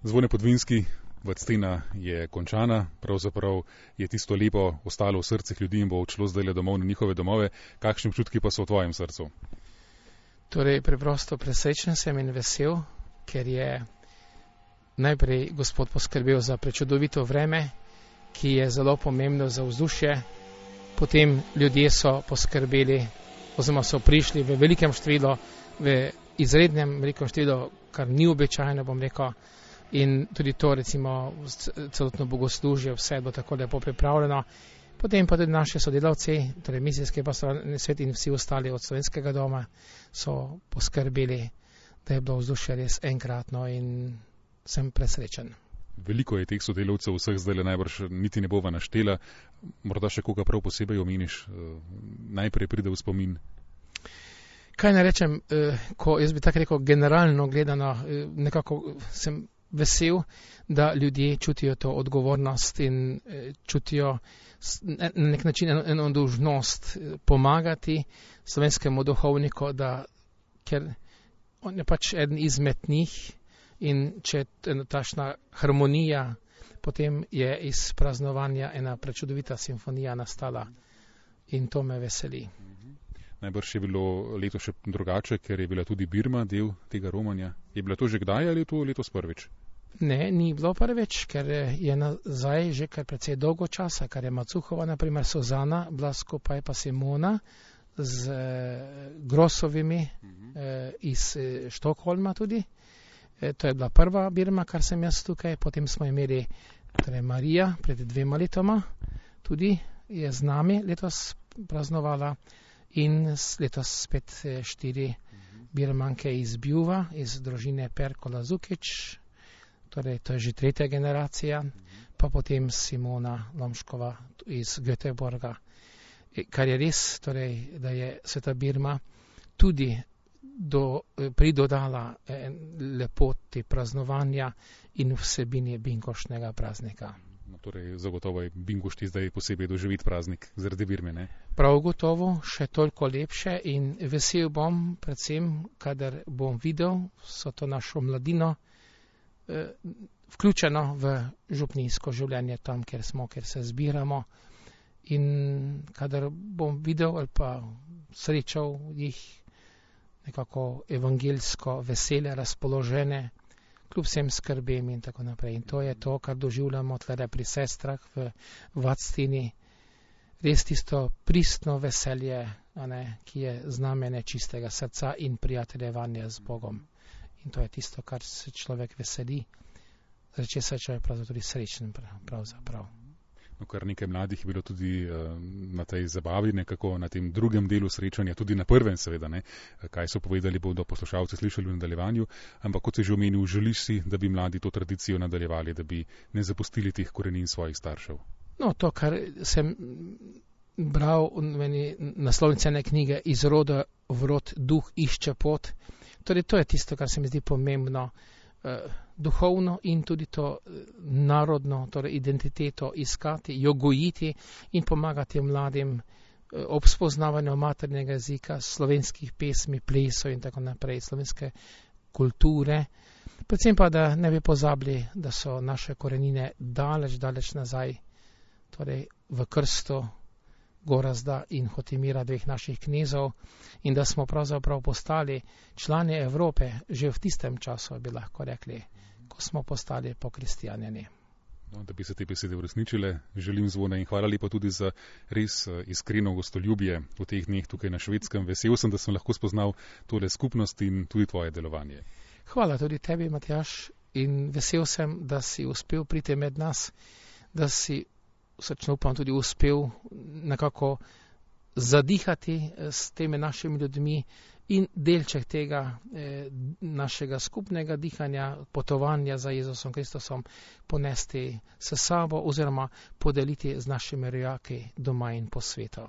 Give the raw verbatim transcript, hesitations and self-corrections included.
Zvone Podvinski, vactina je končana, pravzaprav je tisto lepo ostalo v srcih ljudi in bo odšlo zdajle domov na njihove domove. Kakšni občutki pa so v tvojem srcu? Torej, preprosto presrečen sem in vesel, ker je najprej Gospod poskrbel za prečudovito vreme, ki je zelo pomembno za vzdušje. Potem ljudje so poskrbeli, oziroma so prišli v velikem številu, v izrednem velikem številu, kar ni običajno, bom rekel. In tudi to, recimo, celotno bogoslužje, vse je bilo tako lepo pripravljeno. Potem pa tudi naši sodelavci, torej misijski pastoralni svet in vsi ostali od slovenskega doma so poskrbeli, da je bilo vzdušje res enkratno in sem presrečen. Veliko je teh sodelavcev, vseh zdaj najbrž niti ne bova naštela. Morda še koga prav posebej omeniš, najprej pride v spomin. Kaj naj rečem, ko jaz bi tako rekel generalno gledano, nekako sem vesel, da ljudje čutijo to odgovornost in čutijo na nek način eno, eno dolžnost pomagati slovenskemu duhovniku, da, ker on je pač eden izmed njih in če je tašna harmonija, potem je iz praznovanja ena prečudovita simfonija nastala in to me veseli. Najbrž je bilo leto še drugače, ker je bila tudi Birma del tega romanja. Je bila to že kdaj ali je to letos prvič? Ne, ni bilo prvič, ker je nazaj že kar precej dolgo časa, kar je Macuhova, naprimer Suzana, bila skupaj pa Simona z eh, Grosovimi eh, iz eh, Štokholma tudi. Eh, to je bila prva Birma, kar sem jaz tukaj. Potem smo imeli torej Marija pred dvema letoma, tudi je z nami letos praznovala. In letos spet štiri birmanke iz Bjuva, iz družine Perkola Zukič, torej to je že tretja generacija, pa potem Simona Lomškova iz Göteborga. Kar je res, torej, da je Sveta Birma tudi do, pridodala lepoti praznovanja in vsebini binkoštnega praznika. No, torej, zagotovo je bingošti zdaj posebej doživeti praznik zaradi Birme, ne? Prav gotovo, še toliko lepše in vesel bom, predvsem, kadar bom videl vso to našo mladino eh, vključeno v župnijsko življenje tam, kjer smo, kjer se zbiramo in kadar bom videl ali pa srečal jih nekako evangelsko vesele, razpoložene, kljub vsem skrbem in tako naprej. In to je to, kar doživljamo tlede pri sestrah v Vactini. Res tisto pristno veselje, a ne, ki je znamenje čistega srca in prijateljevanja z Bogom. In to je tisto, kar se človek veseli, zaradi česar je človek pravzaprav tudi srečen pravzaprav. No, kar nekaj mladih je bilo tudi uh, na tej zabavi, nekako na tem drugem delu srečanja, tudi na prvem seveda, ne, kaj so povedali, bodo poslušalci slišali v nadaljevanju, ampak kot se že omenil, želiš si, da bi mladi to tradicijo nadaljevali, da bi ne zapustili teh korenin svojih staršev. No, to, kar sem bral v naslovnici ene knjige Iz roda v rod duh išče pot, torej to je tisto, kar se mi zdi pomembno, duhovno in tudi to narodno, torej identiteto iskati, jo gojiti in pomagati mladim ob spoznavanju maternega jezika, slovenskih pesmi, plesov in tako naprej, slovenske kulture. Predvsem pa, da ne bi pozabili, da so naše korenine daleč, daleč nazaj, torej v krstu Gorazda in Hotimira, dveh naših knezov, in da smo pravzaprav postali člani Evrope že v tistem času, bi lahko rekli, ko smo postali pokristjanjeni. No, da bi se te besede uresničile, želim Zvone in hvala lepa tudi za res iskreno gostoljubje v teh dneh tukaj na Švedskem. Vesel sem, da sem lahko spoznal tole skupnost in tudi tvoje delovanje. Hvala tudi tebi, Matjaž, in vesel sem, da si uspel priti med nas, da si srčno upam tudi uspel nekako zadihati s temi našimi ljudmi in delček tega eh, našega skupnega dihanja, potovanja za Jezusom Kristusom ponesti s sabo oziroma podeliti z našimi rojaki doma in po svetu.